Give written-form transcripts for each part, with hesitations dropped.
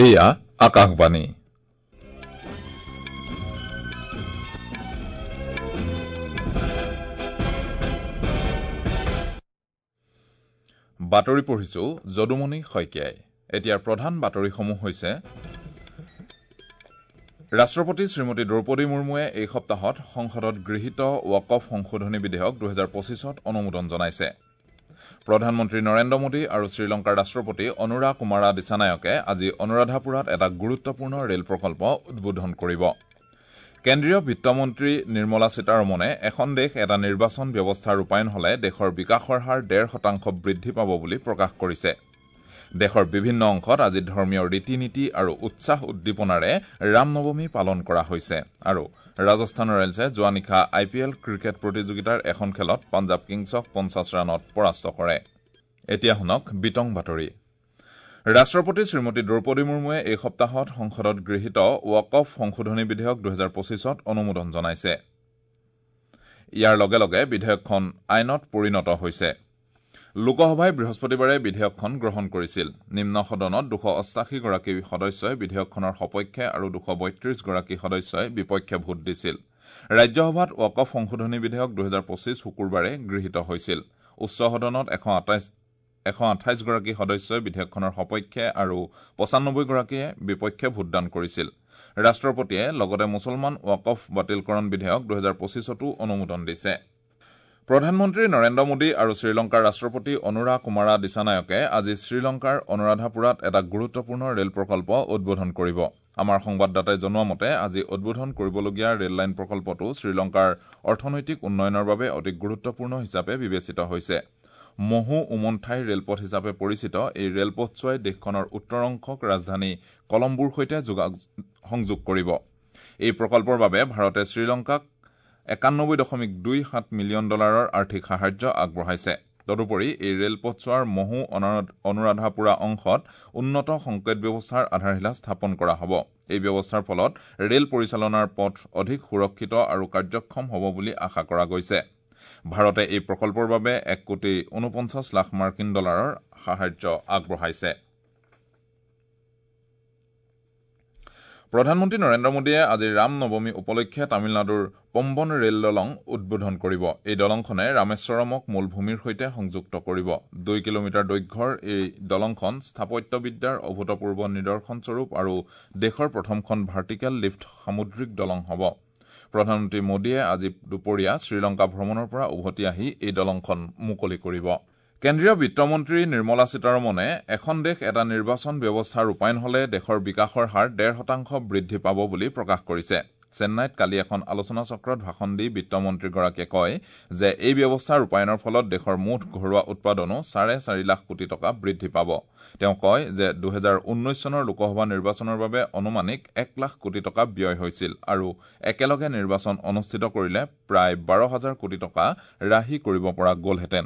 এয়া আকাশবাণী। বাতৰি পঢ়িছো যদুমণি শইকীয়াই। এতিয়াৰ প্ৰধান বাতৰিসমূহ হৈছে ৰাষ্ট্ৰপতি শ্ৰীমতী দ্ৰৌপদী মুৰ্মুৱে এই সপ্তাহত সংসদত গৃহীত ৱাকফ সংশোধনী বিধেয়ক ২০২৫ত অনুমোদন জনাইছে। প্ৰধানমন্ত্ৰী নৰেন্দ্ৰ মোদী আৰু শ্ৰীলংকাৰ ৰাষ্ট্ৰপতি অনুৰা কুমাৰা দিছানায়কে আজি অনুৰাধাপুৰাত এটা গুৰুত্বপূৰ্ণ ৰেল প্ৰকল্প উদ্বোধন কৰিব। কেন্দ্ৰীয় বিত্তমন্ত্ৰী নিৰ্মলা সীতাৰমণে এখন দেশ এটা নিৰ্বাচন ব্যৱস্থা ৰূপায়ণ হলে দেশৰ বিকাশৰ হাৰ ১.৫% বৃদ্ধি পাব বুলি প্ৰকাশ কৰিছে। দেশৰ বিভিন্ন অংশত আজি ধৰ্মীয় ৰীতি নীতি আৰু উৎসাহ উদ্দীপনাৰে ৰামনৱমী পালন কৰা হৈছে। আৰু ৰাজস্থান ৰয়েলছে যোৱা নিশা আই পি এল ক্ৰিকেট প্ৰতিযোগিতাৰ এখন খেলত পাঞ্জাৱ কিংছক ৫০ ৰানত পৰাস্ত কৰে। এতিয়া শুনক বিতং বাতৰি। ৰাষ্ট্ৰপতি শ্ৰীমতী দ্ৰৌপদী মুৰ্মুৱে এই সপ্তাহত সংসদত গৃহীত ৱাকফ সংশোধনী বিধেয়ক ২০২৫ত অনুমোদন জনাইছে। ইয়াৰ লগে লগে বিধেয়কখন আইনত পৰিণত হৈছে। লোকসভাই বৃহস্পতিবাৰে বিধেয়কখন গ্ৰহণ কৰিছিল। নিম্ন সদনত ২৮৮ গৰাকী সদস্যই বিধেয়কখনৰ সপক্ষে আৰু ২৩২ গৰাকী সদস্যই বিপক্ষে ভোট দিছিল। ৰাজ্যসভাত ৱাকফ সংশোধনী বিধেয়ক ২০২৫ শুকুৰবাৰে গৃহীত হৈছিল। উচ্চ সদনত ১২৮ গৰাকী সদস্যই বিধেয়কখনৰ সপক্ষে আৰু ৯৫ গৰাকীয়ে বিপক্ষে ভোটদান কৰিছিল। ৰাষ্ট্ৰপতিয়ে লগতে মুছলমান ৱাকফ বাতিলকৰণ বিধেয়ক ২০২৫তো অনুমোদন দিছে। প্ৰধানমন্ত্ৰী নৰেন্দ্ৰ মোদী আৰু শ্ৰীলংকাৰ ৰাষ্ট্ৰপতি অনুৰা কুমাৰা দিছানায়কে আজি শ্ৰীলংকাৰ অনুৰাধাপুৰাত এটা গুৰুত্বপূৰ্ণ ৰেল প্ৰকল্প উদ্বোধন কৰিব। আমাৰ সংবাদদাতাই জনোৱা মতে আজি উদ্বোধন কৰিবলগীয়া ৰেললাইন প্ৰকল্পটো শ্ৰীলংকাৰ অৰ্থনৈতিক উন্নয়নৰ বাবে অতি গুৰুত্বপূৰ্ণ হিচাপে বিবেচিত হৈছে। মহু উমন্থাই ৰেলপথ হিচাপে পৰিচিত এই ৰেলপথছোৱাই দেশখনৰ উত্তৰ অংশক ৰাজধানী কলম্বোৰ সৈতে সংযোগ কৰিব। এই প্ৰকল্পৰ বাবে ভাৰতে শ্ৰীলংকাক ৯১.২৭ মিলিয়ন ডলাৰৰ আৰ্থিক সাহায্য আগবঢ়াইছে। তদুপৰি এই ৰেলপথছোৱাৰ মহু অনুৰাধাপুৰা অংশত উন্নত সংকেত ব্যৱস্থাৰ আধাৰশিলা স্থাপন কৰা হ'ব। এই ব্যৱস্থাৰ ফলত ৰেল পৰিচালনাৰ পথ অধিক সুৰক্ষিত আৰু কাৰ্যক্ষম হ'ব বুলি আশা কৰা গৈছে। ভাৰতে এই প্ৰকল্পৰ বাবে ১ কোটি ৪৯ লাখ মাৰ্কিন ডলাৰৰ সাহায্য আগবঢ়াইছে। প্ৰধানমন্ত্ৰী নৰেন্দ্ৰ মোদীয়ে আজি ৰাম নৱমী উপলক্ষে তামিলনাডুৰ পম্বন ৰেল দলং উদ্বোধন কৰিব। এই দলংখনে ৰামেশ্বৰমক মূল ভূমিৰ সৈতে সংযুক্ত কৰিব। ২ কিলোমিটাৰ দৈৰ্ঘ্যৰ এই দলংখন স্থাপত্যবিদ্যাৰ অভূতপূৰ্ব নিদৰ্শনস্বৰূপ আৰু দেশৰ প্ৰথমখন ভাৰ্টিকেল লিফ্ট সামুদ্ৰিক দলং হ'ব। প্ৰধানমন্ত্ৰী মোদীয়ে আজি দুপৰীয়া শ্ৰীলংকা ভ্ৰমণৰ পৰা উভতি আহি এই দলংখন মুকলি কৰিব। কেন্দ্ৰীয় বিত্তমন্ত্ৰী নিৰ্মলা সীতাৰমণে এখন দেশ এটা নিৰ্বাচন ব্যৱস্থা ৰূপায়ণ হলে দেশৰ বিকাশৰ হাৰ ১.৫% বৃদ্ধি পাব বুলি প্ৰকাশ কৰিছে। চেন্নাইত কালি এখন আলোচনাচক্ৰত ভাষণ দি বিত্তমন্ত্ৰীগৰাকীয়ে কয় যে এই ব্যৱস্থা ৰূপায়ণৰ ফলত দেশৰ মুঠ ঘৰুৱা উৎপাদনো ৪.৫ লাখ কোটি টকা বৃদ্ধি পাব। তেওঁ কয় যে ২০১৯ চনৰ লোকসভা নিৰ্বাচনৰ বাবে অনুমানিক ১ লাখ কোটি টকা ব্যয় হৈছিল আৰু একেলগে নিৰ্বাচন অনুষ্ঠিত কৰিলে প্ৰায় ১২ হাজাৰ কোটি টকা ৰাহি কৰিব পৰা গ'লহেঁতেন।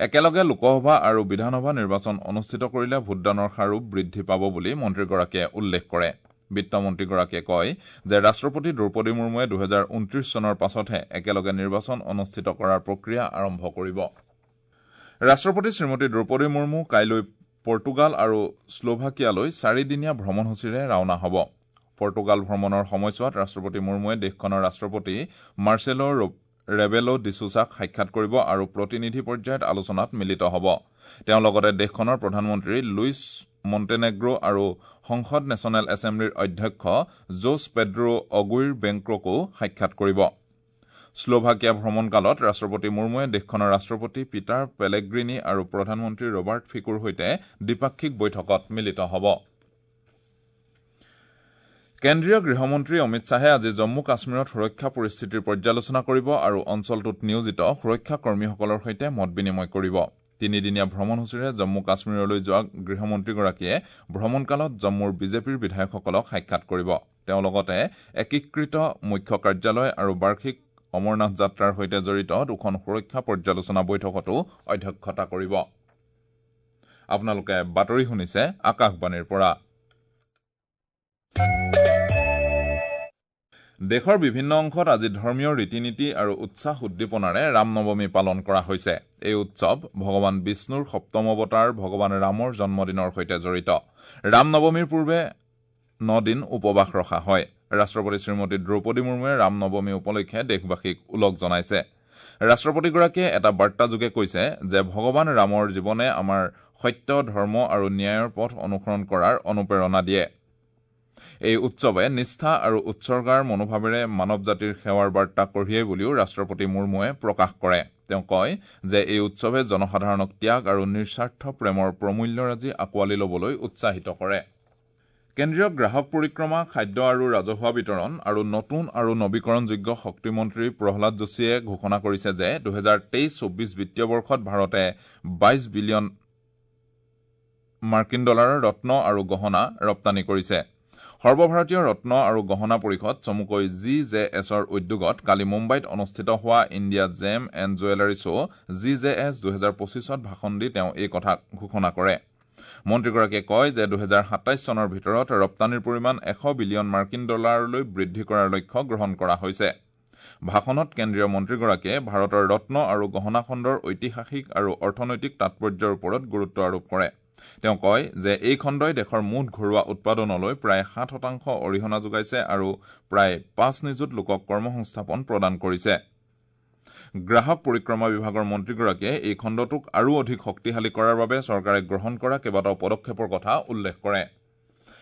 একেলগে লোকসভা আৰু বিধানসভা নিৰ্বাচন অনুষ্ঠিত কৰিলে ভোটদানৰ হাৰো বৃদ্ধি পাব বুলি মন্ত্ৰীগৰাকীয়ে উল্লেখ কৰে। বিত্তমন্ত্ৰীগৰাকীয়ে কয় যে ৰাষ্ট্ৰপতি দ্ৰৌপদী মুৰ্মুৱে ২০২৯ চনৰ পাছতহে একেলগে নিৰ্বাচন অনুষ্ঠিত কৰাৰ প্ৰক্ৰিয়া আৰম্ভ কৰিব। ৰাষ্ট্ৰপতি শ্ৰীমতী দ্ৰৌপদী মুৰ্মু কাইলৈ পৰ্তুগাল আৰু শ্লোভাকিয়ালৈ চাৰিদিনীয়া ভ্ৰমণসূচীৰে ৰাওনা হ'ব। পৰ্তুগাল ভ্ৰমণৰ সময়ছোৱাত ৰাষ্ট্ৰপতি মুৰ্মুৱে দেশখনৰ ৰাষ্ট্ৰপতি মাৰ্চেলো ৰেবেলো ডিছুছাক সাক্ষাৎ কৰিব আৰু প্ৰতিনিধি পৰ্যায়ত আলোচনাত মিলিত হ'ব। তেওঁ লগতে দেশখনৰ প্ৰধানমন্ত্ৰী লুইছ মণ্টেনেগ্ৰো আৰু সংসদ নেশ্যনেল এছেম্বলিৰ অধ্যক্ষ জোছ পেড্ৰো অগুইৰ বেংক্ৰকো সাক্ষাৎ কৰিব। শ্লোভাকিয়া ভ্ৰমণকালত ৰাষ্ট্ৰপতি মুৰ্মুৱে দেশখনৰ ৰাষ্ট্ৰপতি পিটাৰ পেলেগ্ৰিনি আৰু প্ৰধানমন্ত্ৰী ৰবাৰ্ট ফিকোৰ সৈতে দ্বিপাক্ষিক বৈঠকত মিলিত হ'ব। কেন্দ্ৰীয় গৃহমন্ত্ৰী অমিত শ্বাহে আজি জম্মু কাশ্মীৰত সুৰক্ষা পৰিস্থিতিৰ পৰ্যালোচনা কৰিব আৰু অঞ্চলটোত নিয়োজিত সুৰক্ষা কৰ্মীসকলৰ সৈতে মত বিনিময় কৰিব। তিনিদিনীয়া ভ্ৰমণসূচীৰে জম্মু কাশ্মীৰলৈ যোৱা গৃহমন্ত্ৰীগৰাকীয়ে ভ্ৰমণকালত জম্মুৰ বিজেপিৰ বিধায়কসকলক সাক্ষাৎ কৰিব। তেওঁ লগতে একীকৃত মুখ্য কাৰ্যালয় আৰু বাৰ্ষিক অমৰনাথ যাত্ৰাৰ সৈতে জড়িত দুখন সুৰক্ষা পৰ্যালোচনা বৈঠকতো অধ্যক্ষতা কৰিব। আপোনালোকে বাতৰি শুনিছে আকাশবাণীৰ পৰা। দেশৰ বিভিন্ন অংশত আজি ধৰ্মীয় ৰীতি-নীতি আৰু উৎসাহ উদ্দীপনাৰে ৰামনৱমী পালন কৰা হৈছে। এই উৎসৱ ভগৱান বিষ্ণুৰ সপ্তম অৱতাৰ ভগৱান ৰামৰ জন্মদিনৰ সৈতে জড়িত। ৰামনৱমীৰ পূৰ্বে 9 দিন উপবাস ৰখা হয়। ৰাষ্ট্ৰপতি শ্ৰীমতী দ্ৰৌপদী মুৰ্মুৱে ৰামনৱমী উপলক্ষে দেশবাসীক ওলগ জনাইছে। ৰাষ্ট্ৰপতিগৰাকীয়ে এটা বাৰ্তাযোগে কৈছে যে ভগৱান ৰামৰ জীৱনে আমাৰ সত্য, ধৰ্ম আৰু ন্যায়ৰ পথ অনুসৰণ কৰাৰ অনুপ্ৰেৰণা দিয়ে। এই উৎসৱে নিষ্ঠা আৰু উৎসৰ্গাৰ মনোভাৱেৰে মানৱ জাতিৰ সেৱাৰ বাৰ্তা কঢ়িয়াই বুলিও ৰাষ্ট্ৰপতি মুৰ্মুৱে প্ৰকাশ কৰে। তেওঁ কয় যে এই উৎসৱে জনসাধাৰণক ত্যাগ আৰু নিস্বাৰ্থ প্ৰেমৰ প্ৰমূল্যৰাজি আঁকোৱালি ল'বলৈ উৎসাহিত কৰে। কেন্দ্ৰীয় গ্ৰাহক পৰিক্ৰমা, খাদ্য আৰু ৰাজহুৱা বিতৰণ আৰু নতুন আৰু নবীকৰণযোগ্য শক্তিমন্ত্ৰী প্ৰহ্লাদ যোশীয়ে ঘোষণা কৰিছে যে 2023-24 বিত্তীয় বৰ্ষত ভাৰতে 22 বিলিয়ন মাৰ্কিন ডলাৰৰ ৰত্ন আৰু গহনা ৰপ্তানি কৰিছে। সৰ্বভাৰতীয় ৰত্ন আৰু গহনা পৰিষদ চমুকৈ জি জে এছৰ উদ্যোগত কালি মুম্বাইত অনুষ্ঠিত হোৱা India gem and jewellery show G J S 2025ত ভাষণ দি তেওঁ এই কথা ঘোষণা কৰে। মন্ত্ৰীগৰাকীয়ে কয় যে 2027 চনৰ ভিতৰত ৰপ্তানিৰ পৰিমাণ 100 বিলিয়ন মাৰ্কিন ডলাৰলৈ বৃদ্ধি কৰাৰ লক্ষ্য গ্ৰহণ কৰা হৈছে। ভাষণত কেন্দ্ৰীয় মন্ত্ৰীগৰাকীয়ে ভাৰতৰ ৰত্ন আৰু গহনা খণ্ডৰ ঐতিহাসিক আৰু অৰ্থনৈতিক তাৎপৰ্যৰ ওপৰত গুৰুত্ব আৰোপ কৰে। তেওঁ কয় যে এই খণ্ডই দেশৰ মুঠ ঘৰুৱা উৎপাদনলৈ প্ৰায় 7% অৰিহণা যোগাইছে আৰু প্ৰায় 5 নিযুত লোকক কৰ্মসংস্থাপন প্ৰদান কৰিছে। গ্ৰাহক পৰিক্ৰমা বিভাগৰ মন্ত্ৰীগৰাকীয়ে এই খণ্ডটোক আৰু অধিক শক্তিশালী কৰাৰ বাবে চৰকাৰে গ্ৰহণ কৰা কেইবাটাও পদক্ষেপৰ কথা উল্লেখ কৰে।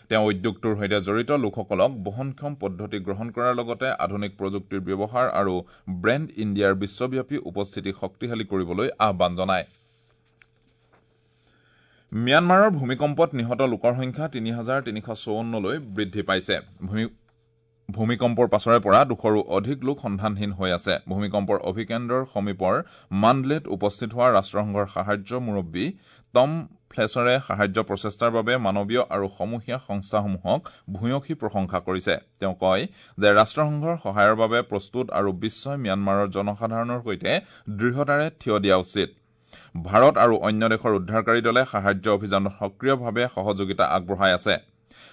তেওঁ উদ্যোগটোৰ সৈতে জড়িত লোকসকলক বহনক্ষম পদ্ধতি গ্ৰহণ কৰাৰ লগতে আধুনিক প্ৰযুক্তিৰ ব্যৱহাৰ আৰু ব্ৰেণ্ড ইণ্ডিয়াৰ বিশ্বব্যাপী উপস্থিতি শক্তিশালী কৰিবলৈ আহ্বান জনায়। ম্যানমাৰৰ ভূমিকম্পত নিহত লোকৰ সংখ্যা 3354লৈ বৃদ্ধি পাইছে। ভূমিকম্পৰ পাছৰে পৰা 200ৰো অধিক লোক সন্ধানহীন হৈ আছে। ভূমিকম্পৰ অভিকেন্দ্ৰৰ সমীপৰ মাণ্ডলেত উপস্থিত হোৱা ৰাষ্ট্ৰসংঘৰ সাহায্য মুৰব্বী টম ফ্লেছৰে সাহায্য প্ৰচেষ্টাৰ বাবে মানৱীয় আৰু সমূহীয়া সংস্থাসমূহক ভূয়সী প্ৰশংসা কৰিছে। তেওঁ কয় যে ৰাষ্ট্ৰসংঘৰ সহায়ৰ বাবে প্ৰস্তুত আৰু বিশ্বই ম্যানমাৰৰ জনসাধাৰণৰ সৈতে দৃঢ়তাৰে থিয় দিয়া উচিত। ভাৰত আৰু অন্য দেশৰ উদ্ধাৰকাৰী দলে সাহায্য অভিযানত সক্ৰিয়ভাৱে সহযোগিতা আগবঢ়াই আছে।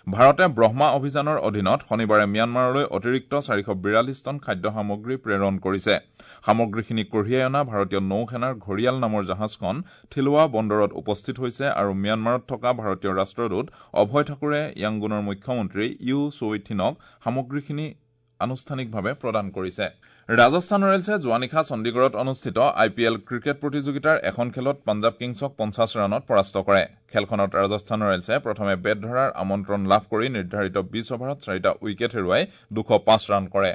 ভাৰতে ব্ৰহ্মা অভিযানৰ অধীনত শনিবাৰে ম্যানমাৰলৈ অতিৰিক্ত 442 টন খাদ্য সামগ্ৰী প্ৰেৰণ কৰিছে। সামগ্ৰীখিনি কঢ়িয়াই অনা ভাৰতীয় নৌসেনাৰ ঘৰিয়াল নামৰ জাহাজখন থিলোৱা বন্দৰত উপস্থিত হৈছে আৰু ম্যানমাৰত থকা ভাৰতীয় ৰাষ্ট্ৰদূত অভয় ঠাকুৰে য়াংগুনৰ মুখ্যমন্ত্ৰী you চৌইথিনক সামগ্ৰীখিনি আনুষ্ঠানিকভাৱে প্ৰদান কৰিছে। ৰাজস্থান ৰয়েলছে যোৱা নিশা চণ্ডীগড়ত অনুষ্ঠিত আই পি এল ক্ৰিকেট প্ৰতিযোগিতাৰ এখন খেলত পাঞ্জাৱ কিংছক 50 ৰানত পৰাস্ত কৰে। খেলখনত ৰাজস্থান ৰয়েলছে প্ৰথমে বেট ধৰাৰ আমন্ত্ৰণ লাভ কৰি নিৰ্ধাৰিত 20 অভাৰত 4টা উইকেট হেৰুৱাই 205 ৰান কৰে।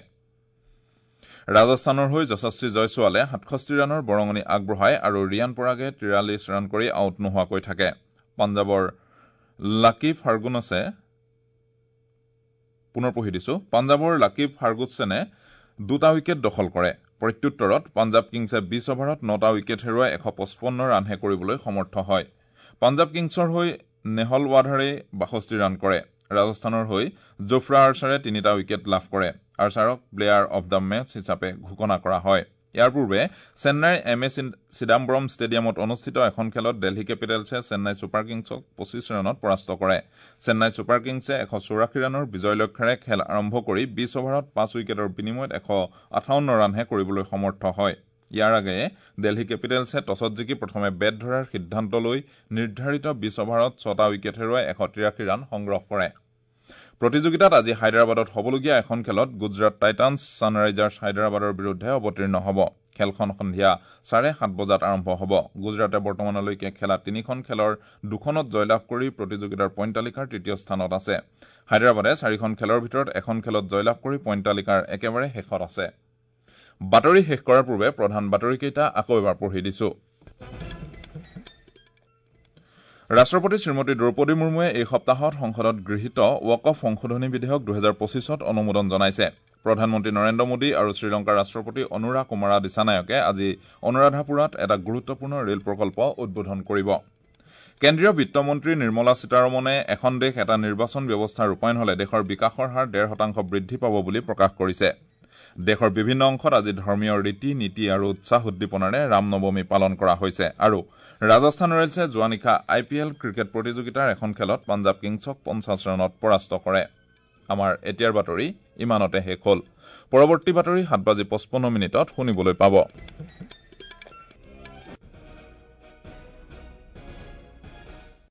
ৰাজস্থানৰ হৈ যশস্বী জয়ছোৱালে 67 ৰানৰ বৰঙণি আগবঢ়ায় আৰু ৰিয়ান পৰাগে 43 ৰান কৰি আউট নোহোৱাকৈ থাকে। পাঞ্জাৱৰ লাকি ফাৰ্গুচনে 2টা উইকেট দখল কৰে। প্ৰত্যুত্তৰত পাঞ্জাৱ কিংছে 20 অভাৰত 9টা উইকেট হেৰুৱাই 155 ৰানহে কৰিবলৈ সমৰ্থ হয়। পাঞ্জাৱ কিংছৰ হৈ নেহল ৱাধাৰে 62 ৰান কৰে। ৰাজস্থানৰ হৈ জোফ্ৰা আৰ্চাৰে 3টা উইকেট লাভ কৰে। আৰ্চাৰক প্লেয়াৰ অব the match হিচাপে ঘোষণা কৰা হয়। ইয়াৰ পূৰ্বে চেন্নাইৰ এম এ চিদাম্বৰম ষ্টেডিয়ামত অনুষ্ঠিত এখন খেলত দিল্লী কেপিটেলছে চেন্নাই ছুপাৰ কিংছক 25 ৰানত পৰাস্ত কৰে। চেন্নাই ছুপাৰ কিংছে 184 ৰানৰ বিজয় লক্ষ্যেৰে খেল আৰম্ভ কৰি 20 অভাৰত 5 উইকেটৰ বিনিময়ত 158 ৰানহে কৰিবলৈ সমৰ্থ হয়। ইয়াৰ আগেয়ে দিল্লী কেপিটেলছে টছত জিকি প্ৰথমে বেট ধৰাৰ সিদ্ধান্ত লৈ নিৰ্ধাৰিত 20 অভাৰত 6টা উইকেট হেৰুৱাই 183 ৰান সংগ্ৰহ কৰে। প্ৰতিযোগিতাত আজি হায়দৰাবাদত হ'বলগীয়া এখন খেলত গুজৰাট টাইটানছ ছানৰাইজাৰ্ছ হায়দৰাবাদৰ বিৰুদ্ধে অৱতীৰ্ণ হ'ব। খেলখন সন্ধিয়া 7:30 বজাত আৰম্ভ হ'ব। গুজৰাটে বৰ্তমানলৈকে খেলা 3খন খেলৰ 2খনত জয়লাভ কৰি প্ৰতিযোগিতাৰ পইণ্ট তালিকাৰ তৃতীয় স্থানত আছে। হায়দৰাবাদে 4খন খেলৰ ভিতৰত এখন খেলত জয়লাভ কৰি পইণ্ট তালিকাৰ একেবাৰে শেষত আছে। বাতৰি শেষ কৰাৰ পূৰ্বে প্ৰধান বাতৰিকেইটা আকৌ এবাৰ পঢ়ি দিছো। ৰাষ্ট্ৰপতি শ্ৰীমতী দ্ৰৌপদী মুৰ্মুৱে এই সপ্তাহত সংসদত গৃহীত ৱাকফ সংশোধনী বিধেয়ক 2025ত অনুমোদন জনাইছে। প্ৰধানমন্ত্ৰী নৰেন্দ্ৰ মোদী আৰু শ্ৰীলংকাৰ ৰাষ্ট্ৰপতি অনুৰা কুমাৰা দিছানায়কে আজি অনুৰাধাপুৰাত এটা গুৰুত্বপূৰ্ণ ৰেল প্ৰকল্প উদ্বোধন কৰিব। কেন্দ্ৰীয় বিত্তমন্ত্ৰী নিৰ্মলা সীতাৰমণে এখন দেশ এটা নিৰ্বাচন ব্যৱস্থা ৰূপায়ণ হলে দেশৰ বিকাশৰ হাৰ 1.5% বৃদ্ধি পাব বুলি প্ৰকাশ কৰিছে। দেশৰ বিভিন্ন অংশত আজি ধৰ্মীয় ৰীতি নীতি আৰু উৎসাহ উদ্দীপনাৰে ৰামনৱমী পালন কৰা হৈছে। আৰু ৰাজস্থান ৰয়েলছে যোৱা নিশা আই পি এল ক্ৰিকেট প্ৰতিযোগিতাৰ এখন খেলত পাঞ্জাৱ কিংছক 50 ৰানত পৰাস্ত কৰে। আমাৰ এতিয়াৰ বাতৰি ইমানতে শেষ হ'ল। পৰৱৰ্তী বাতৰি 7:55 শুনিবলৈ পাব।